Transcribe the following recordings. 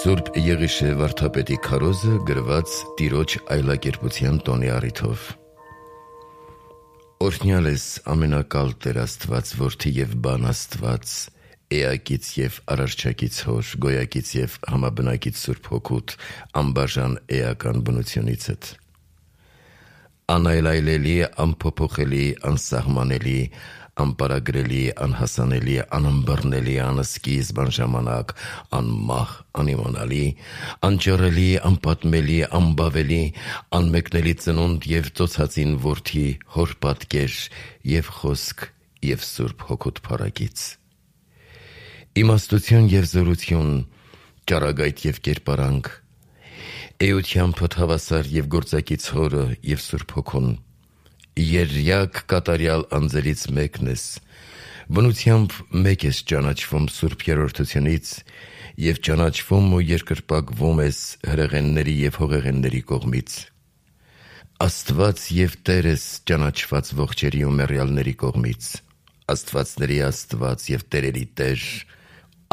Սուրբ Եղիշե վարդապետի քարոզը գրված Տիրոջ այլակերպության տոնի առիթով։ Օրհնյալ ես ամենակալ Տեր Աստված, որդի և բան Աստված, էակից և արարչակից հոր, գոյակից և համաբնակից Սուրբ Հոգուտ, անբաժան էական բնությունիցդ։ Անայլայլելի, անփոփոխելի, անսահմանելի, անպարագրելի, անհասանելի, անըմբռնելի, անսկիզբ, անժամանակ, անմահ, անիմանալի, անճռելի, անպատմելի, անբավելի, անմեկնելի ծնունդ և ծոցածին որդի, հոր պատկեր և խոսք և Սուրբ Հոգուտ փառագիծ։ Իմաստություն և զորություն, ճառագայթ և կերպարանք, էությամբ հավասար և գործակից հորը և Սուրբ Հոգուն, երրյակ կատարյալ անձերից մեկն ես, բնությամբ մեկ ես ճանաչվում Սուրբ Երրորդությունից և ճանաչվում ու երկրպագվում ես հրեղենների և հողեղենների կողմից, Աստված և Տեր ես ճանաչված ողջերի ու մեռյալների կողմից, Աստվածների Աստված և տերերի Տեր,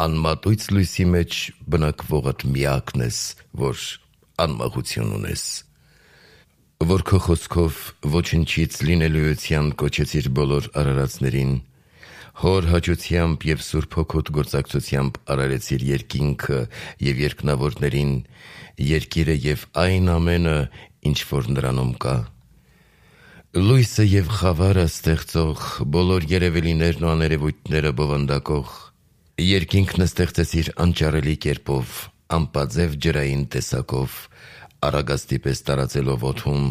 անմատույց լույսի մեջ բնակվողդ միակն ես, որ անմահություն ունես, որ քո խոսքով ոչնչից լինելիության կոչեցիր բոլոր արարածներին, հոր հաճությամբ և Սուրբ Հոգուտ գործակցությամբ արարեցիր երկինքը և երկնավորներին, երկիրը և այն ամենը, ինչ որ նրանում կա, լույսը և խավարը ստեղծող, բոլոր երևելիներն ու աներևույթները բովանդակող, երկինքն ստեղծեցիր անճառելի կերպով, անպաձև ջրային տեսակով, առագաստի պես տարածելով օդում,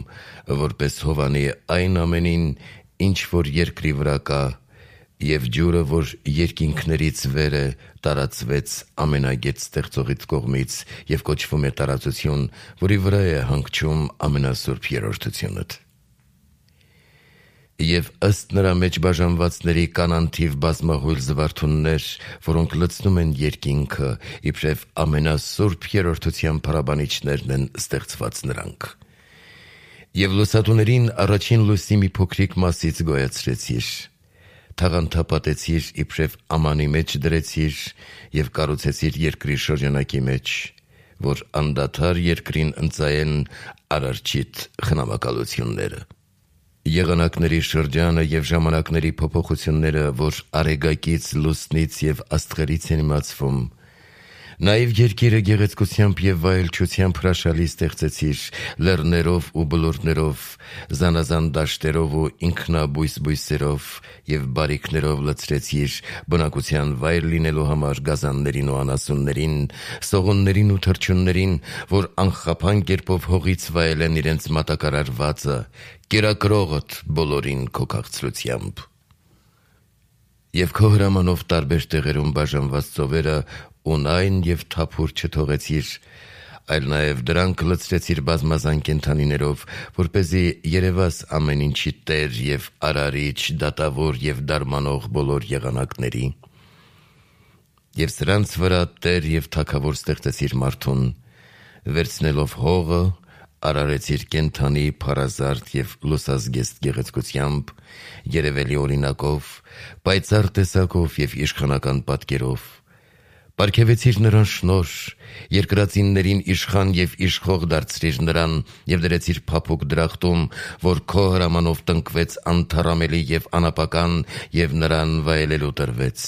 որպես հովանի այն ամենին, ինչ որ երկրի վրա կա, և ջուրը, որ երկինքներից վեր է, տարածվեց ամենագետ ստեղծողից կողմից և կոչվում է տարածություն, որի վրա է հանգչում ամենասուրբ երրորդությունդ։ Եվ ըստ նրա մեջ բաժանվածների կան անթիվ բազմահույլ զվարթուններ, որոնք լցնում են երկինքը, իբրև ամենասուրբ երրորդության փառաբանիչներն են ստեղծված նրանք։ Եվ լուսատուներին առաջին լույսի մի փոքրիկ մասից գոյացրեցիր, թաղանթապատեցիր, իբրև ամանի մեջ դրեցիր և կառուցեցիր երկրի շրջանակի մեջ, որ անդադար երկրին ընծայեն Արարչիդ խնամակալությունները։ Եղանակների շրջանը և ժամանակների փոփոխությունները, որ արեգակից, լուսնից և աստղերից են իմացվում, նաև երկիրը գեղեցկությամբ և վայելչությամբ հրաշալի ստեղծեցիր, լեռներով ու բլուրներով, զանազան դաշտերով ու ինքնաբույս բույսերով և բարիքներով լցրեցիր, բնակության վայր լինելու համար գազաններին ու անասուններին, սողուններին ու թռչուններին, որ անխափան կերպով հողից վայելեն իրենց մատակարարվածը, կերակրողդ բոլորին քո քաղցրությամբ։ Եվ քո հրամանով տարբեր տեղերում բաժանված ծովերը ունայն և թափուր չթողեցիր, այլ նաև դրանք լցրեցիր բազմազան կենդանիներով, որպեսզի երևաս ամեն ինչի Տեր և Արարիչ, դատավոր և դարմանող բոլոր եղանակների։ Եվ սրանց վրա Տեր և Թագավոր ստեղծեցիր մարդուն, վերցնելով հողը, արարեցիր կենդանի, փառազարդ և լուսազգեստ գեղեցկությամբ, երևելի օրինակով, պայծառ տեսակով և իշխանական պատկերով, պարգևեցիր նրան շնորհ, երկրածիններին իշխան և իշխող դարձրիր նրան և դրեցիր փափուկ դրախտում, որ քո հրամանով տնկվեց անթառամելի և անապական և նրան վայելելու տրվեց։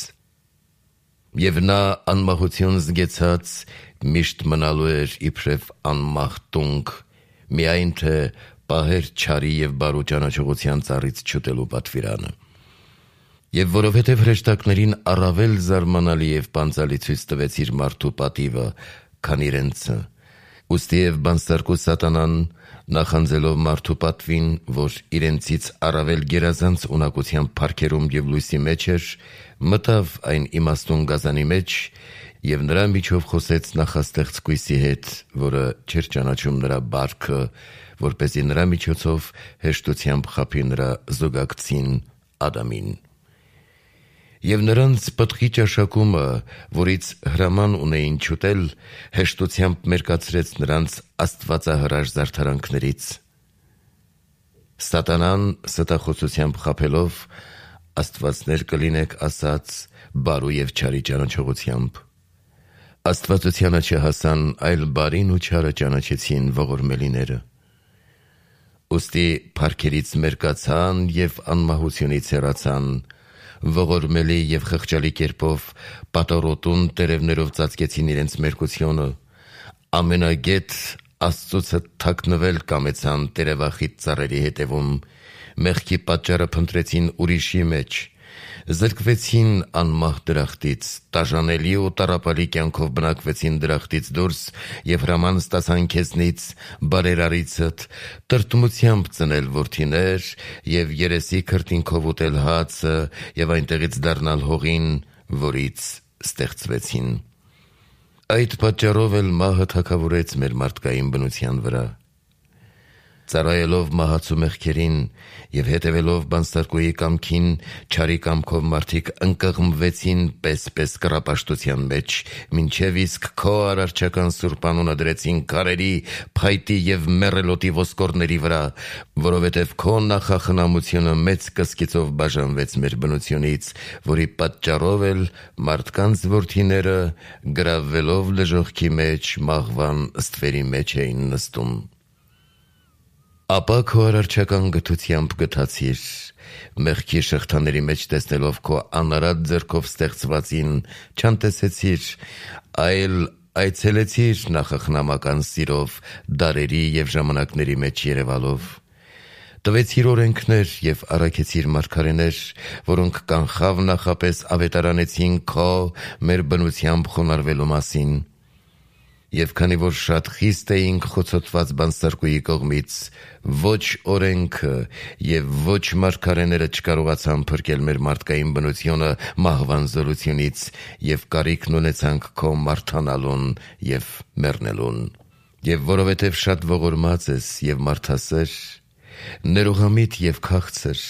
Եվ նա անմահություն զգեցած միշտ մնալու էր իբրև անմահ տունկ, միայն թե պահեր չարի և բարու ճանաչողության ծառից չուտելու պատվիրանը։ Եվ որովհետև հրեշտակներին առավել զարմանալի և պանծալի ցույց տվեցիր մարդու պատիվը, քան իրենցը, ուստի և բանսարկու սատանան, նախանձելով մարդու պատվին, որ իրենցից առավել գերազանց ունակությամբ փառքերում և լույսի մեջ էր, մտավ այն իմաստուն գազանի մեջ և նրա միջով խոսեց նախաստեղծ կույսի հետ, որը չէր ճանաչում նրա բարքը, որպեսզի նրա միջոցով հեշտությամբ խաբի նրա զուգակցին Ադամին։ Եվ նրանց պտղի ճաշակումը, որից հրաման ունեին չուտել, հեշտությամբ մերկացրեց նրանց աստվածահրաշ զարդարանքներից։ Սատանան ստախոսությամբ խաբելով, աստվածներ կլինեք ասաց բարու և չարի ճանաչողությամբ, Աստվածությանը չհասան, այլ բարին ու չարը ճանաչեցին ողորմելիները։ Ուստի փառքերից մերկացան և անմահությունից հեռացան, ողորմելի և խղճալի կերպով պատառոտուն տերևներով ծածկեցին իրենց մերկությունը, ամենագետ Աստծուց թաքնվել կամեցան տերևախիտ ծառերի հետևում, մեղքի պատճառը փնտրեցին ուրիշի մեջ, զրկվեցին անմահ դրախտից, տաժանելի ու տառապալի կյանքով բնակվեցին դրախտից դուրս և հրաման ստացան քեզնից, բարերարիցդ, տրտմությամբ ծնել որդիներ և երեսի քրտինքով ուտել հացը և այնտեղից դառնալ հողին, որից ստեղծվեցին։ Այդ պատճառով էլ մահը թագավորեց մեր մարդկային բնության վրա։ Ծառայելով մահացու մեղքերին և հետևելով բանսարկուի կամքին, չարի կամքով մարդիկ ընկղմվեցին պես կռապաշտության մեջ, մինչև իսկ քո արարչական սուրբ անունը դրեցին քարերի, փայտի և մեռելոտի ոսկորների վրա, որովհետև քո նախախնամությունը մեծ կսկիծով բաժանվեց մեր բնությունից, որի պատճառով էլ մարդկանց որդիները գրավվելով լժոխքի մեջ մահվան ստվերի մեջ էին նստում։ Ապա քո արարչական գթությամբ գթացիր, մեղքի շղթաների մեջ տեսնելով քո անարատ ձեռքով ստեղծվածին, չանտեսեցիր, այլ այցելեցիր նախախնամական սիրով, դարերի և ժամանակների մեջ երևալով։ Տվեցիր օրենքներ և առաքեցիր մարգարեներ, որոնք կանխավ նախապես ավետարանեցին քո մեր բնությամբ խոնարհվելու մասին։ Եվ քանի որ շատ խիստ էինք խոցոտված բանսարկուի կողմից, ոչ օրենքը և ոչ մարգարեները չկարողացան փրկել մեր մարդկային բնությունը մահվան զորությունից և կարիքն ունեցանք քո մարդանալուն և մեռնելուն։ Եվ որովհետև շատ ողորմած ես և մարդասեր, ներողամիտ և քաղցր,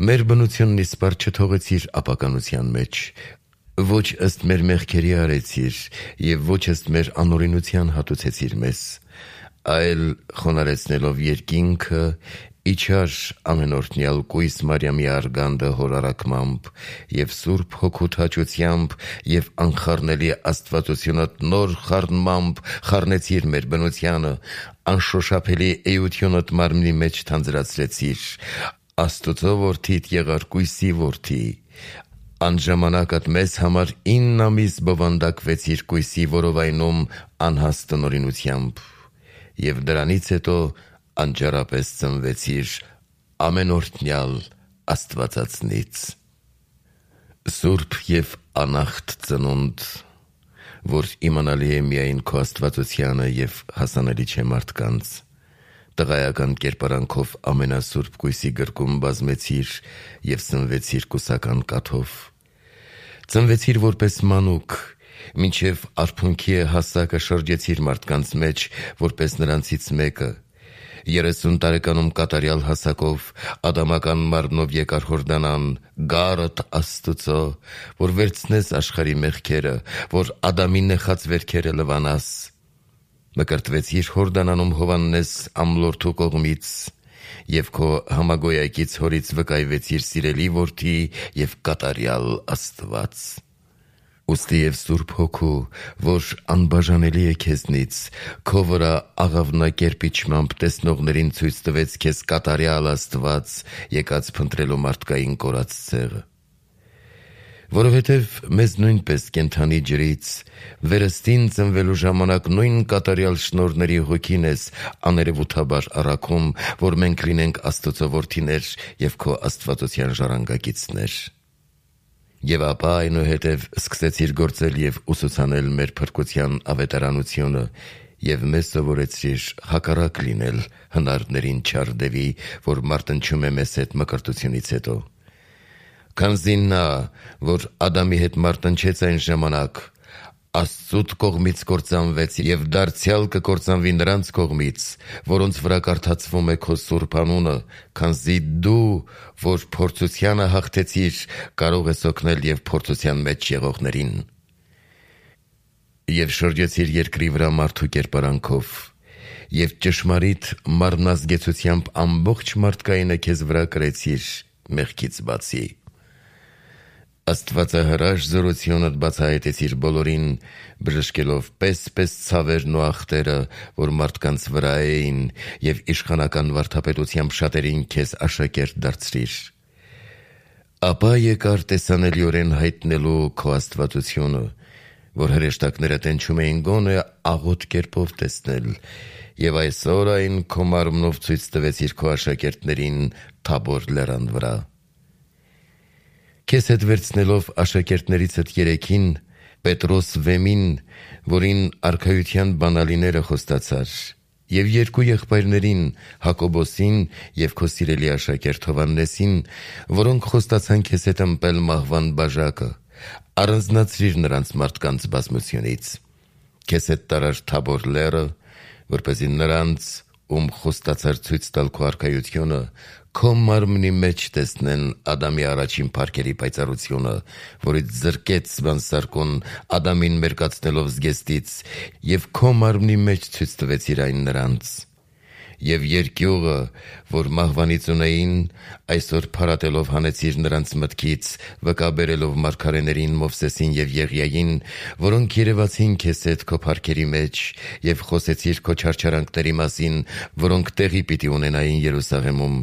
մեր բնությունն իսպառ չթողեցիր ապականության մեջ, ոչ ըստ մեր մեղքերի արեցիր և ոչ ըստ մեր անօրենության հատուցեցիր մեզ, այլ խոնարհեցնելով երկինքը, իջար ամենօրհնյալ կույս Մարիամի արգանդը հոր առաքմամբ և Սուրբ Հոգուդ հաճությամբ և անխառնելի աստվածությունդ նոր խառնմամբ խառնեցիր մեր բնությանը, անշոշափելի էությունդ մարմնի մեջ թանձրացրեցիր, Աստուծո որդիդ եղար կույսի որդի, անժամանակդ մեզ համար 9 ամիս բովանդակվեցիր կույսի որովայնում անհաս տնօրինությամբ և դրանից հետո անճարապես ծնվեցիր ամենօրհնյալ Աստվածածնից։ Սուրբ և անախտ ծնունդ, որ իմանալի է միայն քո աստվածությանը և հասանելի չէ մարդկանց, տղայական կերպարանքով ամենասուրբ կույսի գրկում բազմեցիր և սնվեցիր կուսական կաթով։ Ծնվեցիր որպես մանուկ, մինչև արփունքի է հասակը շրջեցիր մարդկանց մեջ, որպես նրանցից մեկը, 30 տարեկանում կատարյալ հասակով, ադամական մարմնով եկար Հորդանան, գառըդ Աստուծո, որ վերցնես աշխարհի մեղքերը, որ Ադամի նեխած վերքերը լվանաս։ Մկրտվեցիր Հորդանանում Հովհաննես ամլորդու կողմից և քո համագոյակից հորից վկայվեցիր սիրելի որդի և կատարյալ Աստված։ Ուստի և Սուրբ Հոգու, որ անբաժանելի է քեզնից, քո վրա աղավնակերպ իջմամբ տեսնողներին ցույց տվեց քեզ կատարյալ Աստված, եկած փնտրելու մարդկային կորած ցեղը։ Որովհետև մեզ նույնպես կենդանի ջրից, վերստին ծնվելու ժամանակ նույն կատարյալ շնորհների Հոգին ես աներևութաբար առաքում, որ մենք լինենք Աստծո որդիներ և քո աստվածության ժառանգակիցներ։ Եվ ապա այնուհետև սկսեցիր գործել և ուսուցանել մեր փրկության ավետարանությունը և մեզ սովորեցրիր հակառակ լինել հնարներին չար դևի, որ մարտնչում է մեզ հետ մկրտությունից հետո։ Քանզի նա, որ Ադամի հետ մարտնչեց այն ժամանակ, Աստծուց կողմից կործանվեց և դարձյալ կկործանվի նրանց կողմից, որոնց վրա կարդացվում է քո սուրբ անունը, քանզի դու, որ փորձությանը հաղթեցիր, կարող ես օգնել և փորձության մեջ եղողներին։ Եվ շրջեցիր երկրի վրա մարդու կերպարանքով և ճշմարիտ մարմնազգեցությամբ ամբողջ մարդկայինը քեզ վրա կրեցիր մեղքից բացի։ Աստվածահրաշ զորությունդ բացահայտեցիր բոլորին, բժշկելով պես ցավերն ու ախտերը, որ մարդկանց վրա էին, եւ իշխանական վարդապետությամբ շատերին քեզ աշակերտ դարձրիր։ Ապա եկար տեսանելիորեն հայտնելու քո աստվածությունը, որ հրեշտակները տենչում էին գոնե աղոտ կերպով տեսնել, եւ այսօր այն քո մարմնով ցույց տվեցիր քո աշակերտներին Թաբոր լեռան վրա։ Քեզ հետ վերցնելով աշակերտներիցդ երեքին, Պետրոս Վեմին, որին արքայության բանալիները խոստացար, եւ երկու եղբայրներին, Հակոբոսին եւ քո սիրելի աշակերտ Հովհաննեսին, որոնք խոստացան քեզ հետ ըմպել մահվան բաժակը, առանձնացրիր նրանց մարդկանց բազմությունից։ Քեզ հետ տարար Թաբոր լեռը, որպեսզի նրանց, ում խոստացար ցույց տալ քո արքայությունը, քո մարմնի մեջ տեսնեն Ադամի առաջին փառքերի պայծառությունը, որից զրկեց Սվանսարկուն Ադամին մերկացնելով զգեստից, եւ քո մարմնի մեջ ցույց տվեցիր այն նրանց։ Եվ երկյուղը, որ մահվանից ունեին, այսօր փարատելով հանեցիր նրանց մտքից, վկաբերելով մարգարեներին Մովսեսին եւ Եղիային, որոնք երևացին քեզ հետ քո փառքերի մեջ, եւ խոսեցիր քո չարչարանքների մասին, որոնք տեղի պիտի ունենային Երուսաղեմում,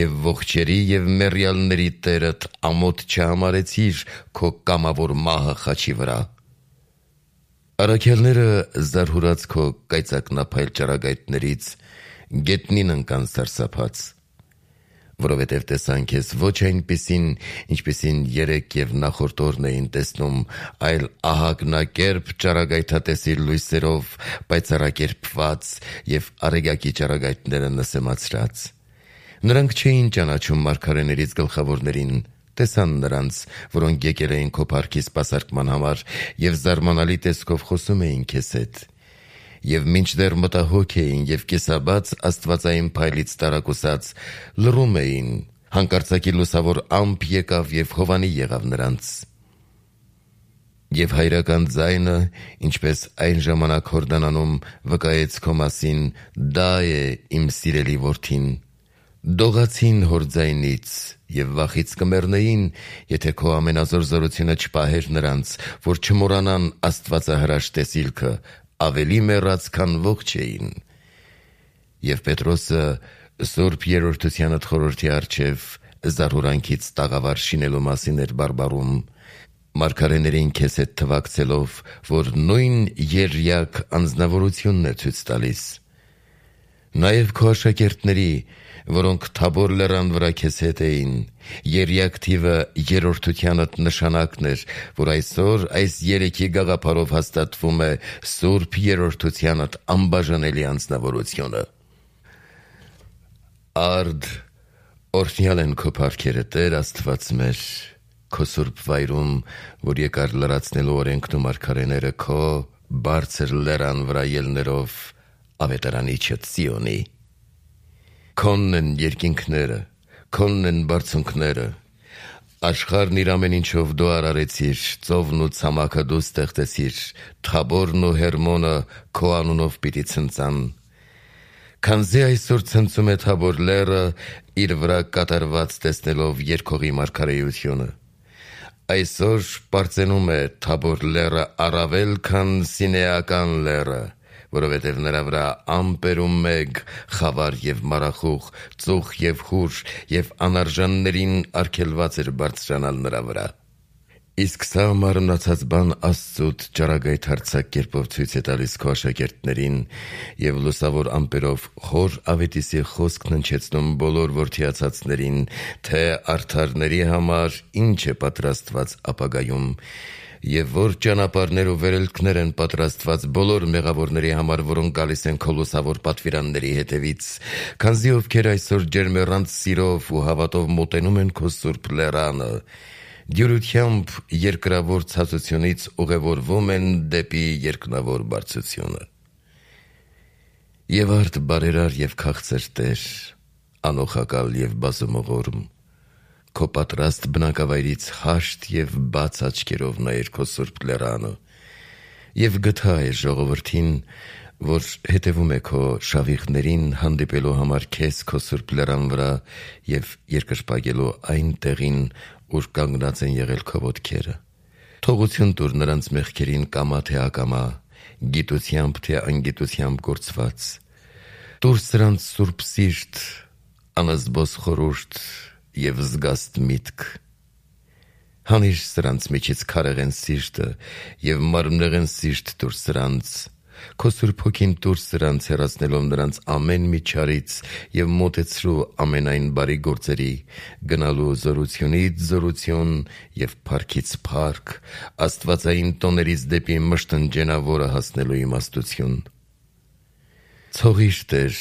եւ ողջերի եւ մեռյալների Տերդ ամոթ չհամարեցիր քո կամավոր մահը խաչի վրա։ Առաքյալները զարհուրած քո կայծակնափայլ ճառագայթներից գետնին ընկան սարսափած, որովհետև տեսան քեզ ոչ այնպիսին, ինչպիսին երեկ եւ նախորդ օրն էին տեսնում, այլ ահագնակերպ ճառագայթատեսիլ լույսերով, պայծառակերպված եւ արեգակի ճառագայթները նսեմացրած։ Նրանք չէին ճանաչում մարգարեներից գլխավորներին, տեսան նրանց, որոնք եկել էին քո փառքի սպասարկման համար եւ զարմանալի տեսքով խոսում էին քեզ հետ։ Եվ մինչդեռ մտահոգ էին եւ կեսաբաց աստվածային փայլից տարակուսած, լռում էին, հանկարծակի լուսավոր ամպ եկավ եւ Հովանի եղավ նրանց։ Եվ հայրական ձայնը, ինչպես այն ժամանակ Հորդանանում, վկայեց քո մասին. «Դա է իմ սիրելի որդին»։ Դողացին հոր ձայնից եւ վախից կմեռնեին, եթե քո ամենազոր զորությունը չպահեր նրանց, որ չմոռանան աստվածահրաշ տեսիլքը, ավելի մեռած, քան ողջ էին։ Եվ Պետրոսը Սուրբ Երրորդությանդ խորհրդի առջև զարհուրանքից տաղավար շինելու մասին էր բարբառում, մարգարեներին քեզ հետ թվակցելով, որ նույն երյակ անձնավորությունն է ցույց տալիս։ Նաև քո աշակերտների, որոնք Թաբոր լեռան վրա քեզ հետ էին, երյակ թիվը երրորդությանդ նշանակն էր, որ այսօր այս երեքի գաղափարով հաստատվում է Սուրբ Երրորդությանդ անբաժանելի անձնավորությունը։ Արդ, օրհնյալ են քո փառքերը, Տեր Աստված մեր, քո սուրբ վայրում, որ եկար լրացնելու օրենքն ու մարգարեները քո բարձր լեռան վրա ելներով ավետարանիչը Սիոնի։ Քոնն են երկինքները, քոնն են բարձունքները, աշխարհն իր ամեն ինչով դու արարեցիր, ծովն ու ցամաքը դու ստեղծեցիր, Թաբորն ու Հերմոնը քո անունով պիտի ցնծան։ Քանզի այսօր ցնծում է Թաբոր լեռը, իր վրա կատարված տեսնելով երկողի մարգարեությունը։ Այսօր պարծենում է Թաբոր լեռը առավել, քան Սինեական լեռը, որովհետև նրա վրա ամպերում մեկ, խավար եւ մարախուղ, ծուխ եւ խուր եւ անարժաններին արգելված էր բարձրանալ նրա վրա։ Իսկ սա մարմնացած բան Աստծուց ճառագայթ հարձակ կերպով ցույց է տալիս քո աշակերտներին եւ լուսավոր ամպերով խոր ավետիսի խոսքն հնչեցնում բոլոր որդիացածներին, թե արդարների համար ինչ է պատրաստված ապագայում, եւ որ ճանապարհներ ու վերելքներ են պատրաստված բոլոր մեղավորների համար, որոնք գալիս են քո լուսավոր պատվիրանների հետևից, քանզի ովքեր այսօր ջերմեռանց սիրով ու հավատով մոտենում են քո սուրբ լեռանը, դյուրությամբ երկրավոր ցածությունից ուղևորվում են դեպի երկնավոր բարձրությունը։ Եվ արդ բարերար եւ քաղցր Տեր, անօխակալ եւ բազումողորմ, քո պատրաստ բնակավայրից հաշտ եւ բաց աչքերով նայր քո սուրբ լեռանը եւ գթա է ժողովրդին, որ հետևում է քո շավիղներին հանդիպելու համար քեզ քո սուրբ լեռան վրա եւ երկրպագելու այն տեղին, ուր կանգնած են եղել քո ոտքերը։ Թողություն տուր նրանց մեղքերին կամա թե ակամա, գիտությամբ թե անգիտությամբ գործված։ Տուր սրանց սուրբ սիրտ, անզբոս խորհուրդ և զգաստ միտք։ Հանիր սրանց միջից քարեղեն սիրտը և մարմնեղեն սիրտ տուր սրանց։ Քո Սուրբ Հոգին տուր սրանց, հեռացնելով նրանց ամեն մի չարից և մոտեցրու ամենայն բարի գործերի, գնալու զորությունից զորություն և փառքից փառք, աստվածային տոներից դեպի մշտնջենավորը հասնելու իմաստություն։ Ցողիր Տեր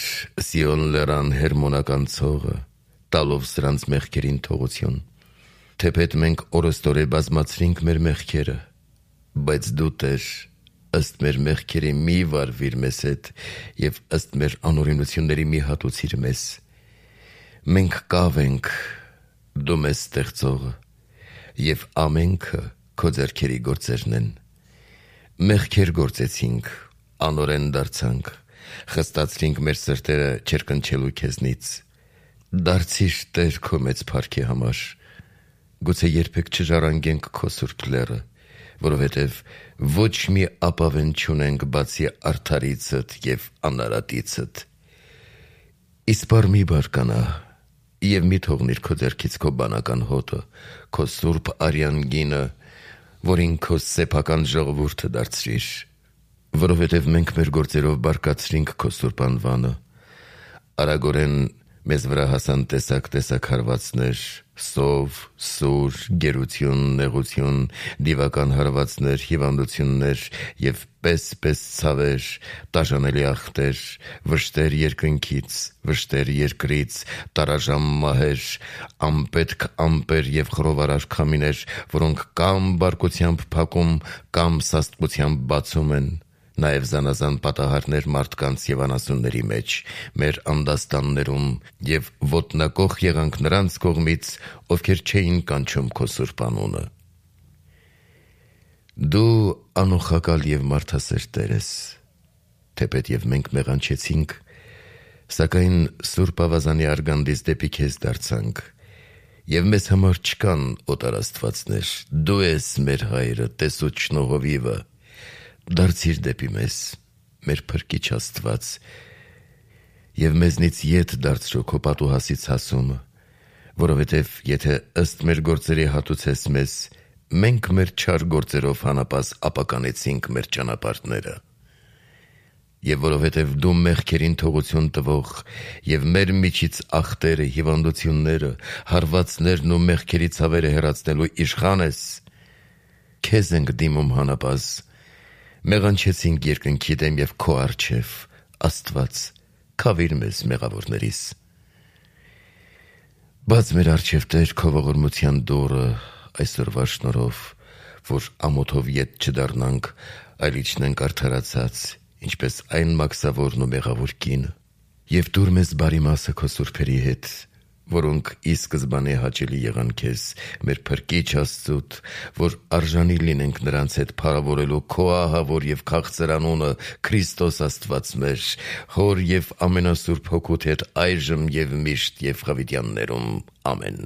Սիոն լեռան հերմոնական ցողը, տալով սրանց մեղքերին թողություն։ Թեպետ մենք օրըստօրե բազմացրինք մեր մեղքերը, բայց դու Տեր, ըստ մեր մեղքերի մի վարվիր մեզ հետ և ըստ մեր անօրենությունների մի հատուցիր մեզ։ Մենք կավ ենք, դու մեզ ստեղծողը, և ամենքը քո ձեռքերի գործերն են։ Մեղքեր գործեցինք, անօրեն դարձանք, խստացրինք մեր սրտերը չերկնչելու քեզնից։ Դարձիր Տեր քո մեծ փառքի համար։ Գուցե երբեք չժառանգենք քո սուրբ լեռը, որովհետև ոչ մի ապավեն չունենք բացի արդարիցդ և անարատիցդ։ Իսպառ մի բարկանա և մի թողնիր քո ձեռքից քո բանական հոտը, քո սուրբ արյան գինը, որին քո սեփական ժողովուրդը դարձրիր, որովհետև մենք մեր գործերով բարկացրինք քո սուրբ անվանը։ Արագորեն մեզ վրա հասան տեսակ հարվածներ, սով, սուր, գերություն, նեղություն, դիվական հարվածներ, հիվանդություններ և պես ցավեր, տաժանելի ախտեր, վշտեր երկնքից, վշտեր երկրից, տարաժամ մահեր, անպետք ամպեր և խռովարար քամիներ, որոնք կամ բարկությամբ փակում, կամ սաստկությամբ բացում են, նաև զանազան պատահարներ մարդկանց և անասունների մեջ, մեր անդաստաններում, և ոտնակոխ եղանք նրանց կողմից, ովքեր չէին կանչում քո սուրբ անունը։ Դու անոխակալ և մարդասեր Տեր ես, թեպետ և մենք մեղանչեցինք, սակայն Սուրբ Ավազանի արգանդից դեպի քեզ դարձանք, և մեզ համար չկան օտար աստվածներ, դու ես մեր Հայրը, տեսուչ շնորհովիվը։ Դարձիր դեպի մեզ, մեր Փրկիչ Աստված, և մեզնից ետ դարձրու քո պատուհասից հասումը, որովհետև եթե ըստ մեր գործերի հատուցես մեզ, մենք մեր չար գործերով հանապաս ապականեցինք մեր ճանապարհները։ Եվ որովհետև դու մեղքերին թողություն տվող և մեր միջից ախտերը, հիվանդությունները, հարվածներն ու մեղքերի ցավերը հեռացնելու իշխան ես, քեզ ենք դիմում հանապաս, մեղանչեցինք երկնքի դեմ և քո առջև, Աստված, քավիր մեզ մեղավորներիս։ Բաց մեր առջև Տեր քո ողորմության դուռը այսօրվա շնորհով, որ ամոթով ետ չդառնանք, այլ իջնենք արդարացած, ինչպես այն մաքսավորն ու մեղավոր կինը, և տուր մեզ բարի մասը քո սուրբերի հետ, որոնք ի սկզբանե հաճելի եղան քեզ, մեր Փրկիչ Աստծուդ, որ արժանի լինենք նրանց հետ փառավորելու քո ահավոր և քաղցր անունը Քրիստոս Աստված մեր, Հոր և ամենասուրբ Հոգուդ հետ այժմ և միշտ և հավիտյաններում։ Ամեն։